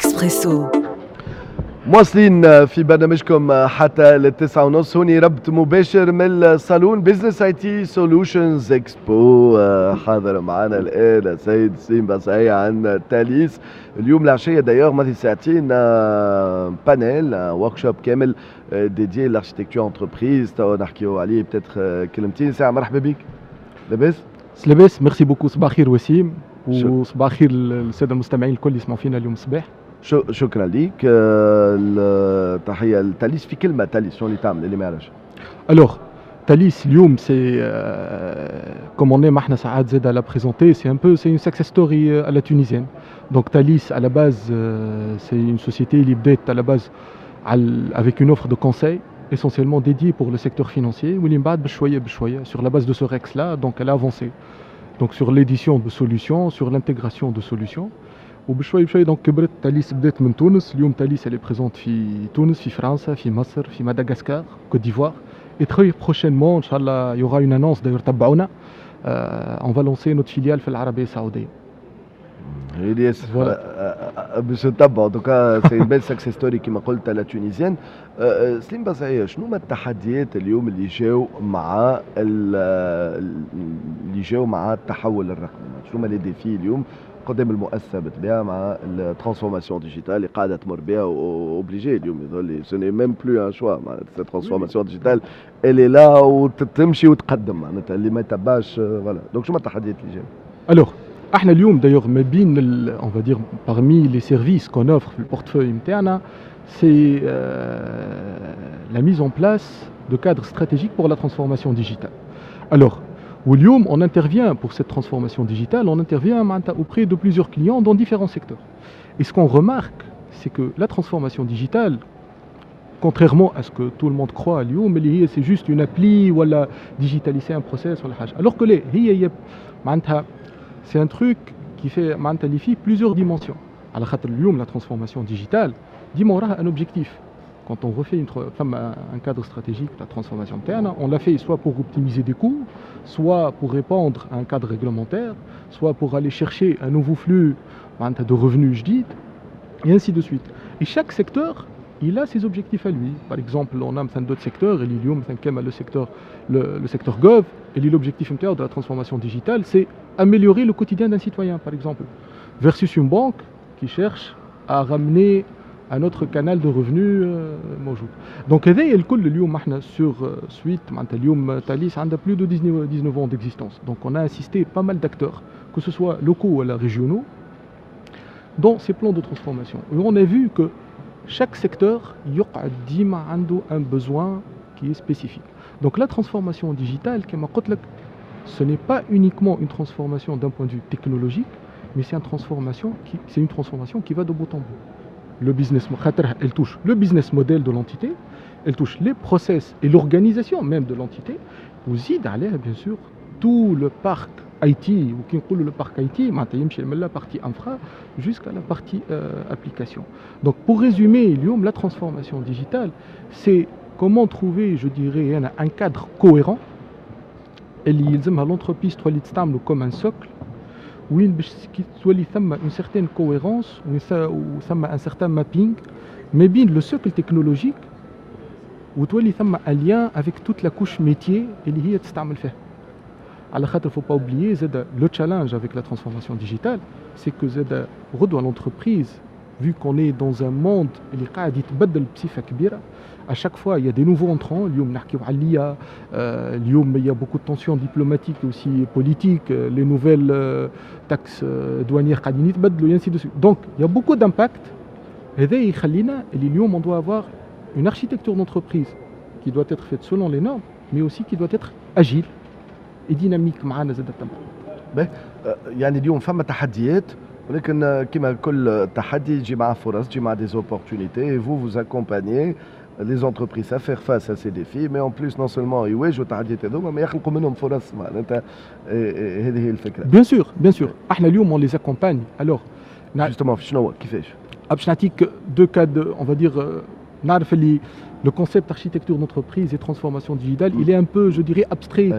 اكسبريسو. مواصلين في برنامجكم حتى لل9:30. هوني ربط مباشر من الصالون Business IT Solutions Expo. حاضر معنا الان السيد سليم بصعية عن تاليس. اليوم العشيه d'ailleurs ماضي ساعتين panel workshop كامل dédié l'architecture entreprise، تو نحكيو عليه peut-être كلمتين. ساعه مرحبا بك، لاباس؟ لاباس، merci beaucoup. صباح الخير وسيم، وصباح الخير للساده المستمعين الكل يسمعوا فينا اليوم الصباح. شكرا لك. تحيه لتاليس. في كلمه، تاليس شنو اللي تعمل اللي ما يعرفش؟ Alors Thalys اليوم c'est comme on aime احنا ساعات زاد la présenter, c'est un peu, c'est une success story à la tunisienne. Donc Thalys, à la base, c'est une société اللي بدات à la base avec une offre de conseil essentiellement dédiée pour le secteur financier، واللي من بعد بشويه بشويه, sur la base de ce REX là, donc elle a avancé donc sur l'édition de solutions, sur l'intégration de solutions، وبشويه بشويه donc كبرت. تاليس بدات من تونس. اليوم تاليس elle est présente في تونس، في فرنسا، في مصر، في مدغشقر، Côte d'Ivoire, et très prochainement ان شاء الله il y aura une annonce d'ailleurs، تبعونا، on va lancer notre filiale في العربيه السعوديه. الياس باش نتبعوا. En tout cas, c'est une belle success story كيما قلت la tunisienne. سليم بصعية، شنو هما التحديات اليوم اللي جاو مع التحول الرقمي؟ شنو هما les défis اليوم قدام المؤسسه بالطبيعه مع ال transformation digitale اللي قاعده تمر بها؟ obligé اليوم يظهر لي ce n'est même plus un choix، معناتها cette transformation digitale, elle est là وتمشي وتقدم، معناتها اللي ما يتبعش voilà. Donc شنو هما التحديات اللي جاو؟ Alors احنا اليوم d'ailleurs ما بين, on va dire, parmi les services qu'on offre في ال portefeuille نتاعنا, c'est la mise en place de cadres stratégiques pour la transformation digitale. Alors, واليوم on intervient pour cette transformation digitale, on intervient auprès de plusieurs clients dans différents secteurs. Et ce qu'on remarque, c'est que la transformation digitale, contrairement à ce que tout le monde croit اليوم اللي هي c'est juste une appli ولا digitaliser un process ولا حاجة. Alors que لا، هي معناتها c'est un truc qui fait معناتها اللي فيه plusieurs dimensions. على خاطر اليوم la transformation digitale ديما وراها un objectif. Quand on refait un cadre stratégique de la transformation interne, on l'a fait soit pour optimiser des coûts, soit pour répondre à un cadre réglementaire, soit pour aller chercher un nouveau flux de revenus جديد, et ainsi de suite. Et chaque secteur, il a ses objectifs à lui. Par exemple, on a d'autres secteurs, le secteur gov, et l'objectif de la transformation digitale, c'est améliorer le quotidien d'un citoyen, par exemple, versus une banque qui cherche à ramener un autre canal de revenus موجود. Donc هذا الكل اليوم احنا sur suite معناتها اليوم تاليس عندها plus de 19 ans d'existence. Donc on a assisté pas mal d'acteurs, que ce soit locaux ou régionaux, dans ces plans de transformation. Et on a vu que chaque secteur يقعد ديما عنده un besoin qui est spécifique. Donc la transformation digitale كما قلت لك, ce n'est pas uniquement une transformation d'un point de vue technologique, mais c'est une transformation qui va de bout en bout. Le business, elle touche le business model de l'entité, elle touche les process et l'organisation même de l'entité, وزيد عليها bien sûr tout le parc IT, وكي نقولوا le parc IT, معناتها يمشي من la partie infra jusqu'à la partie application. Donc pour résumer, اليوم la transformation digitale, c'est comment trouver, je dirais, un cadre cohérent اللي يلزمها l'entreprise تولي تستعمله comme un socle وين باش كي تولي ثم une certaine cohérence وثم un certain mapping ما بين le socle technologique وتولي ثم un lien avec toute la couche métier اللي هي تستعمل فيها. على خاطر faut pas oublier زاد le challenge avec la transformation digitale, c'est que زاد غدوه l'entreprise, vu qu'on est dans un monde اللي قاعد يتبدل بصفه كبيره, à chaque fois il y a des nouveaux entrants. اليوم نحكيو على l'IA، اليوم il y a beaucoup de tensions diplomatiques et aussi politiques, les nouvelles taxes douanières قاعدين يتبدلوا et ainsi de suite. Donc il y a beaucoup d'impact. هذا يخلينا اللي اليوم on doit avoir une architecture d'entreprise qui doit être faite selon les normes, mais aussi qui doit être agile et dynamique معنا زاد. باهي، يعني اليوم فما تحديات، ولكن كما كل تحدي يجي مع فرص، يجي مع des opportunités. Vous, vous accompagnez les entreprises à faire face à ces défis, mais en plus, non seulement يواجهوا التحديات هذوما ما يخلقوا منهم فرص، معناتها هذه هي الفكره. Bien sûr, bien sûr. احنا اليوم on les accompagne. Alors justement شنو كيفاش؟ باش نعطيك deux cas, on va dire, نعرف اللي Le concept architecture d'entreprise et transformation digitale, il est un peu, je dirais, abstrait,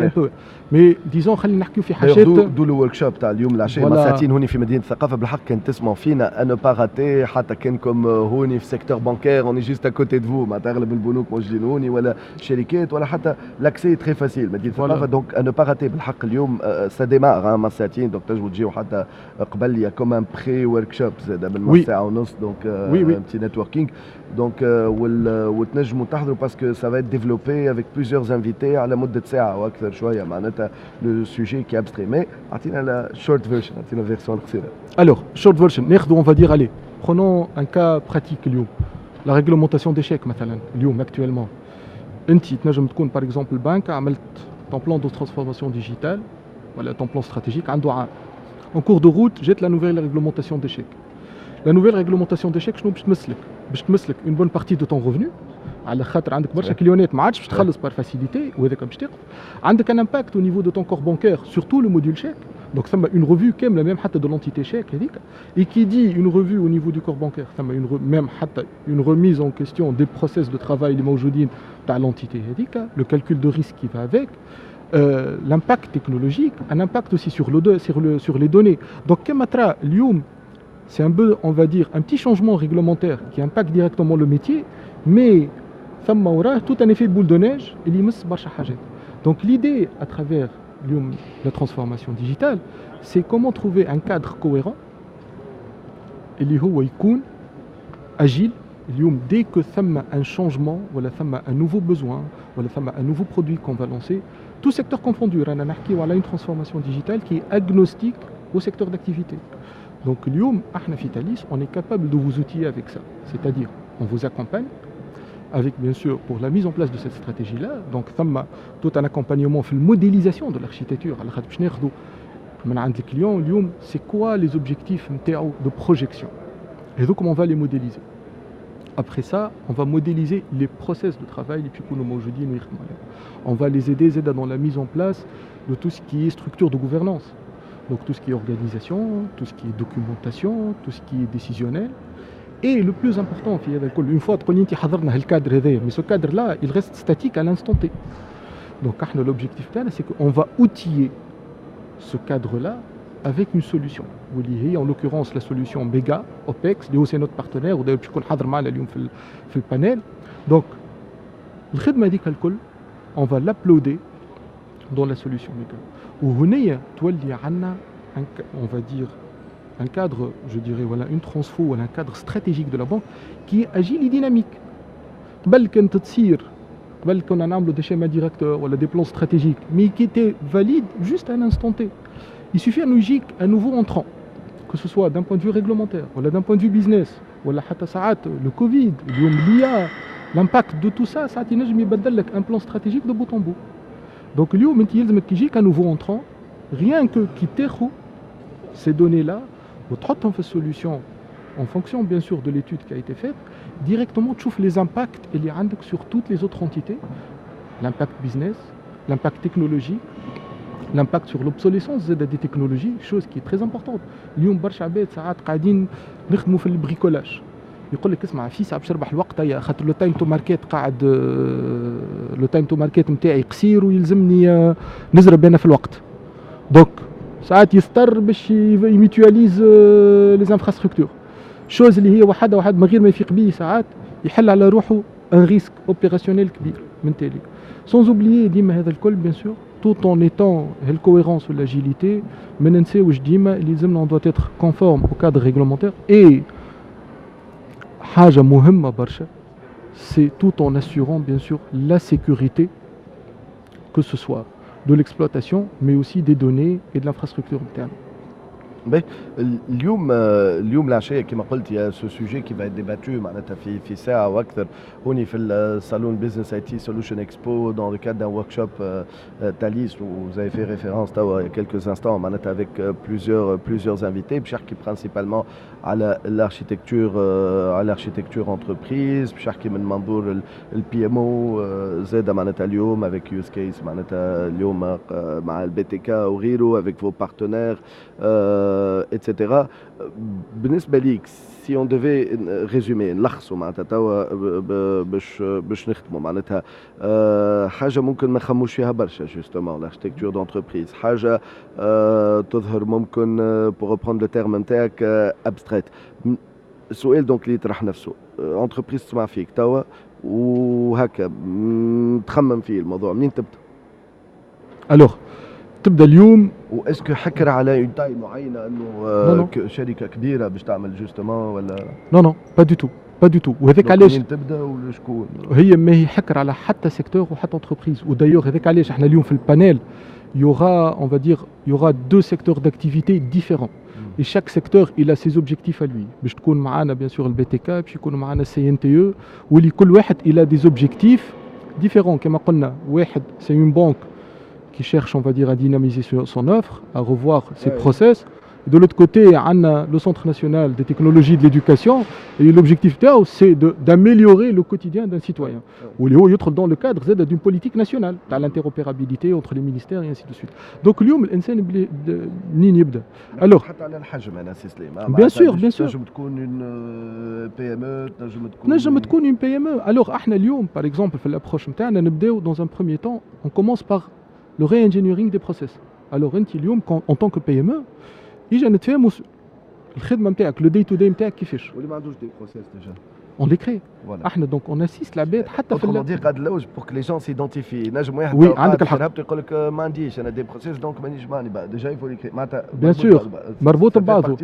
un peu. Mais disons, خلينا نحكيو في حاجات. D'où le workshop تاع اليوم العشية مع ساعتين هوني في مدينة الثقافة. بالحق كان تسمعوا فينا، à ne pas rater، حتى كانكم هوني في secteur bancaire، on est juste à côté de vous. معناتها اغلب البنوك موجودين هوني ولا شركات ولا حتى l'accès très facile مدينة الثقافة، donc à ne pas rater. بالحق اليوم ça démarre مع ساعتين، donc تنجموا تجيو حتى قبل، il y a comme un pré-workshop زاد من ساعة ونص، donc un petit networking، donc وتنجموا تحضروا parce que ça va être développé avec plusieurs invités على مده ساعه واكثر شويه. معناتها le sujet qui est abstrait، mais اعطينا la short version، اعطينا version قصيره. Alors, short version, ناخذوا, on va dire, allez, prenons un cas pratique اليوم. La réglementation des chèques مثلا اليوم actuellement. انت تنجم تكون par exemple banque عملت ton plan de transformation digitale ولا ton plan stratégique عنده عام. En cours de route, جات la nouvelle réglementation des chèques. La nouvelle réglementation des chèques شنو باش تمسلك؟ باش تمسلك une bonne partie de ton revenu، على خاطر عندك برشا client ات ما عادش باش تخلص par facilité وهذاك باش تقف. عندك un impact au niveau de ton core bancaire, surtout le module chèque. Donc ثم une revue كامله même حتى de l'entité chèque هذيك، et qui dit une revue au niveau du core bancaire، ثم une même حتى une remise en question des process de travail اللي موجودين تاع l'entité هذيك، le calcul de risque qui va avec, l'impact technologique, un impact aussi sur les données. Donc, كما ترى اليوم، c'est un peu, on va dire, un petit changement réglementaire qui impacte directement le métier, mais ثم وراه tout un effet boule de neige اللي يمس برشا حاجات. Donc l'idée à travers اليوم la transformation digitale, c'est comment trouver un cadre cohérent اللي هو يكون agile. اليوم dès que ثم un changement ولا ثم un nouveau besoin ولا ثم un nouveau produit qu'on va lancer, tout secteur confondu، رانا نحكيو على une transformation digitale qui est agnostique au secteur d'activité. Donc اليوم احنا في Thalys, on est capable de vous outiller avec ça, c'est-à-dire on vous accompagne avec, bien sûr, pour la mise en place de cette stratégie-là. Donc ثم tout un accompagnement في modélisation de l'architecture، على خاطر باش ناخذوا من عند ال client اليوم c'est quoi les objectifs نتاعو de projection et donc comment on va les modéliser. Après ça, on va modéliser les process de travail اللي باش يكونوا موجودين ويخدموا عليهم. On va les aider زاده dans la mise en place de tout ce qui est structure de gouvernance. Donc tout ce qui est organisation, tout ce qui est documentation, tout ce qui est décisionnel. Et le plus important في هذا الكل، une fois تقول انت حضرنا هال cadre هذايا، mais ce cadre là, il reste statique à l'instant T. Donc احنا l'objectif تاعنا, c'est qu'on va outiller ce cadre là avec une solution واللي هي en l'occurrence la solution Mega OPEX، اللي هو c'est notre partenaire، وداير باش يكون حاضر معنا اليوم في ال panel. Donc الخدمه هذيك الكل on va l'uploader dans la solution Mega، وهنيا تولي عندنا on va dire un cadre, je dirais, voilà, une transfo ou un cadre stratégique de la banque qui est agile et dynamique. قبل كانت تصير، قبل كنا نعملوا des schémas directeurs ولا des plans stratégiques, mais qui étaient valides juste à un instant T. Il suffit انه يجيك un nouveau entrant, que ce soit d'un point de vue réglementaire ولا d'un point de vue business ولا حتى ساعات le Covid، اليوم l'IA، l'impact de tout ça ساعات ينجم يبدل لك un plan stratégique de bout en bout. Donc اليوم انت يلزمك كي يجيك un nouveau entrant, rien que كي تاخذ ces données là وتحطهم في ال solution en fonction bien sûr de l'étude qui a été faite, directement تشوف les impacts اللي عندك sur toutes les autres entités, l'impact business, l'impact technologique, l'impact sur l'obsolescence des technologies, chose qui est très importante. اليوم برشا عباد ساعات قاعدين نخدموا في ال bricolage، يقول لك اسمع فيسع باش نربح الوقت هيا، خاطر le time to market قاعد، le time to market نتاعي قصير ويلزمني نزرب انا في الوقت. Donc ساعات يضطر باش ي mutualise les infrastructures, chose اللي هي وحده واحد من غير ما يفيق بيه ساعات يحل على روحه un risque opérationnel كبير من تالي. Sans oublier ديما هذا الكل, bien sûr, tout en étant ال cohérence و l'agilité، ما ننساوش ديما اللي لازمنا on doit être conforme au cadre réglementaire. Et حاجه مهمه برشا, c'est tout en assurant bien sûr la sécurité, que ce soit de l'exploitation, mais aussi des données et de l'infrastructure interne. باهي، اليوم العشيه كما قلت il y a ce sujet qui va être débattu معناتها في ساعه واكثر هوني في ال salon Business IT Solution Expo dans le cadre d'un workshop Thalys où vous avez fait référence توا il y a quelques instants، معناتها avec plusieurs invités باش يحكي principalement على l'architecture entreprise، باش يحكي من منظور ال PMO زاد معناتها اليوم avec use case معناتها اليوم مع ال BTK وغيره avec vos partenaires. et cetera. بالنسبة ليك، si on devait résumer، نلخصوا معناتها توا باش نختموا، معناتها حاجة ممكن ما نخموش فيها برشا، justement l'architecture d'entreprise، حاجة تظهر ممكن، pour reprendre le terme نتاعك، abstraite. السؤال donc اللي يطرح نفسه، entreprise تسمع فيك توا وهكا تخمم فيه الموضوع، منين تبدا؟ Alors تبدا اليوم و est-ce que حكر على une taille معينه، انه شركة كبيرة باش تعمل justement ولا؟ non non، pas du tout، pas du tout. وهذاك علاش منين تبدا ولا شكون؟ هي ما هي حكر على حتى secteur وحتى entreprise. و d'ailleurs هذاك علاش احنا اليوم في ال panel il y aura، on va dire، il y aura deux secteurs d'activité différents. Et chaque secteur، il a ses objectifs à lui. باش تكون معانا bien sûr ال BTK، باش يكون معانا CNTE، واللي كل واحد il a des objectifs différents. كما قلنا، واحد c'est une banque qui cherche، on va dire، à dynamiser son offre، à revoir ses process. De l'autre côté، on a le Centre national des technologies de l'éducation et l'objectif تاعو c'est d'améliorer le quotidien d'un citoyen. واللي هو يدخل dans le cadre زاد d'une politique nationale تاع l'interopérabilité entre les ministères et ainsi de suite. Donc اليوم الانسان منين يبدا؟ Alors حتى على الحجم انا سي سليم. Bien sûr، bien sûr. تنجم تكون une PME، تنجم تكون تنجم تكون une PME. Alors احنا اليوم par exemple في l'approche نتاعنا نبداو dans un premier temps، on commence par le re-engineering des process. Alors انت اليوم en tant que PME، يجي نتفاهموا الخدمة نتاعك، le day to day نتاعك كيفاش. واللي ما عندوش des process déjà؟ on les crée. voilà. احنا donc on assiste العباد حتى في dire قاعد نلوج pour que les gens s'identifient. نجم واحد oui، عندك الحق. يقول لك ما عنديش انا des process، donc مانيش ماني déjà il faut les créer معناتها. bien sûr، مربوط ببعضه.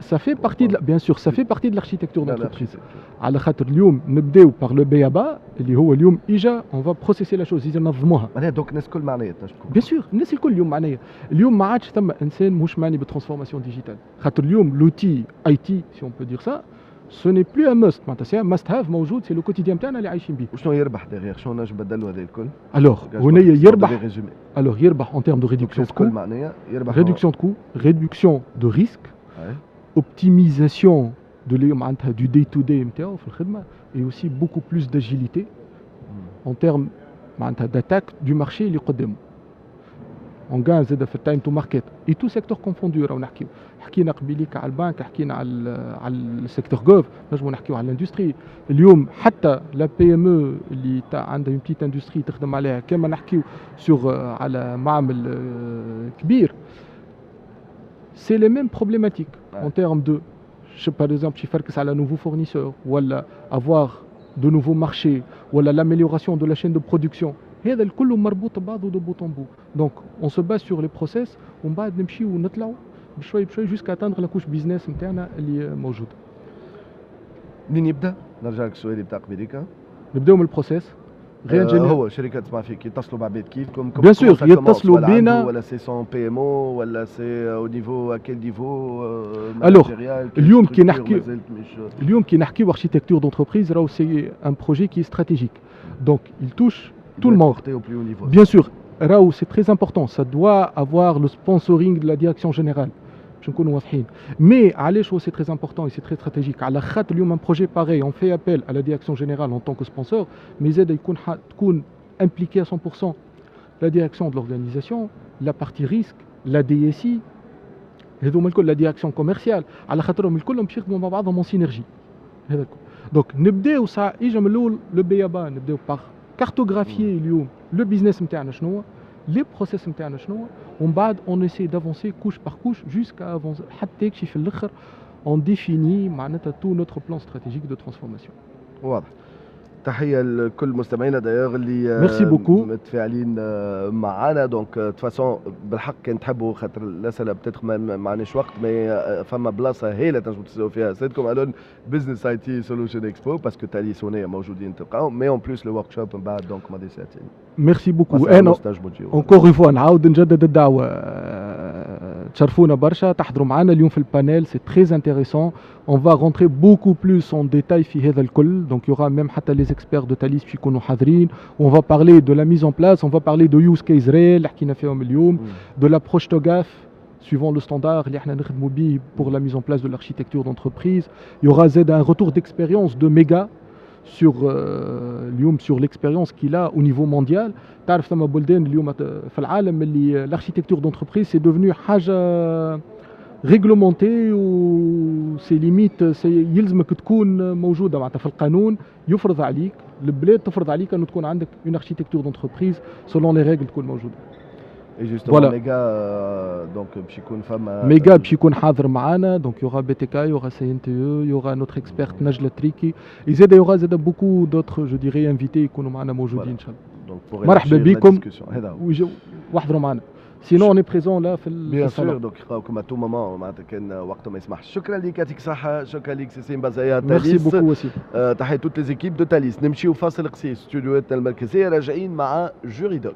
ça fait partie، bien sûr، ça fait partie de l'architecture d'entreprise. على خاطر اليوم نبداو par le b.a.-ba اللي هو اليوم اجا on va processer la chose، اجا ننظموها. معناها donc الناس الكل معنية تنجم تكون. bien sûr، الناس الكل اليوم معنية. اليوم ما عادش ثم انسان مش معني بال transformation digitale، خاطر اليوم l'outil IT، si on peut dire ça، ce n'est plus un must، معناتها c'est must have، موجود، c'est le quotidien نتاعنا اللي عايشين به. وشنو يربح derrière؟ شنو نجم نبدلوا هذا الكل؟ alors هنا يربح، alors يربح en termes de réduction de coût، معناها يربح réduction de coût، réduction de risque، optimisation de معناتها du day to day نتاعو في الخدمه، et aussi beaucoup plus d'agilité en termes معناتها d'attaque du marché اللي قدامه. on gagne زاد في ال time to market، et tout secteur confondu. راهو نحكيو، حكينا قبيليك على البنك، حكينا على ال secteur gov، نجمو نحكيو على l'industrie. اليوم حتى la PME اللي عندها une petite industrie تخدم عليها، كما نحكيو sur على معمل كبير، c'est les mêmes problématiques en termes de، par exemple يفركس على nouveau fournisseur ولا avoir de nouveaux marchés ولا l'amélioration de la chaîne de production. هذا الكل مربوط ببعضه de bout en bout. donc on se base sur les process ومن بعد نمشيو ونطلعوا بشوي بشوي jusqu'à atteindre la couche business نتاعنا اللي موجوده. منين يبدا؟ نرجع لك السؤال بتاع قبيليكا. نبداو من ال process. غير هو شركة تسمع فيك، يتصلوا بعباد كيفكم؟ bien sûr، يتصلوا بينا. ولا c'est son PMO ولا c'est au niveau، quel niveau؟ alors اليوم كي نحكيو architecture d'entreprise، راهو c'est un projet qui est stratégique، donc il touche tout le monde. Au plus haut niveau. Bien sûr، راهو c'est très important، ça doit avoir le sponsoring de la direction générale. باش نكونوا واضحين. Mais علاش هو c'est très important et c'est très stratégique؟ على خاطر اليوم un projet pareil، on fait appel à la direction générale en tant que sponsor، mais زاد يكون تكون impliqué à 100% la direction de l'organisation، la partie risque، la DSI، هذوما الكل، la direction commerciale، على خاطرهم الكلهم باش يخدموا مع بعضهم en synergie. هذا الكل. donc نبداو ساعة اجا من الاول le b.a.-ba، نبداو par cartographier اليوم le business نتاعنا شنو، les process نتاعنا شنو، ومن بعد on essaie d'avancer couche par couche jusqu'à avancer حتى يكشي في الاخر on définit معناتها tout notre plan stratégique de transformation. واضح. تحية لكل مستمعينا d'ailleurs اللي merci beaucoup. متفاعلين معنا. donc de toute façon بالحق كان تحبوا، خاطر الاسئلة peut-être ما عندناش وقت، mais فما بلاصة هايلة تنجموا تسالوا فيها سيدكم الون Business IT Solution Expo، parce que Thalys هنا موجودين تلقاهم، mais en plus le workshop من بعد، donc ماضي ساعتين. merci beaucoup. انا encore une fois نعاود نجدد الدعوه، تشرفونا برشا تحضروا معنا اليوم في ال panel، c'est très intéressant، on va rentrer beaucoup plus en détail في هذا الكل. donc il y aura même حتى les experts de Thalys باش يكونوا حاضرين. on va parler de la mise en place، on va parler de use cases réels اللي حكينا فيهم اليوم، de l'approche TOGAF suivant le standard اللي احنا نخدموا به pour la mise en place de l'architecture d'entreprise. Il y aura زاد un retour d'expérience de Mega sur اليوم sur l'expérience qu'il a au niveau mondial. تعرف ثم بلدان اليوم في العالم اللي l'architecture d'entreprise c'est devenu حاجة réglementé و c'est limite c'est يلزمك تكون موجوده، معناتها في القانون يفرض عليك، البلاد تفرض عليك انه تكون عندك une architecture d'entreprise selon les règles تكون موجوده. Et justement méga donc باش يكون فما méga باش يكون حاضر معانا، donc يوغا بي تي كا، يوغا سي ان تي او، يوغا نوتر اكسبيرت نجلة تريكي، زاد y aura زاد beaucoup d'autres je dirais invités يكونوا معنا موجودين ان شاء الله. مرحبا بكم واحضروا معنا. sinon on est présent là في bien sûr، donc يلقاوكم à tout moment، معناتها كان وقت ما يسمحش. شكرا لك، يعطيك الصحة، شكرا لك سي سيم بازايا. merci beaucoup وسيم. تحية toutes les équipes de Thalys. نمشيو فاصل قصير، استوديوهاتنا المركزية، راجعين مع Juridoc.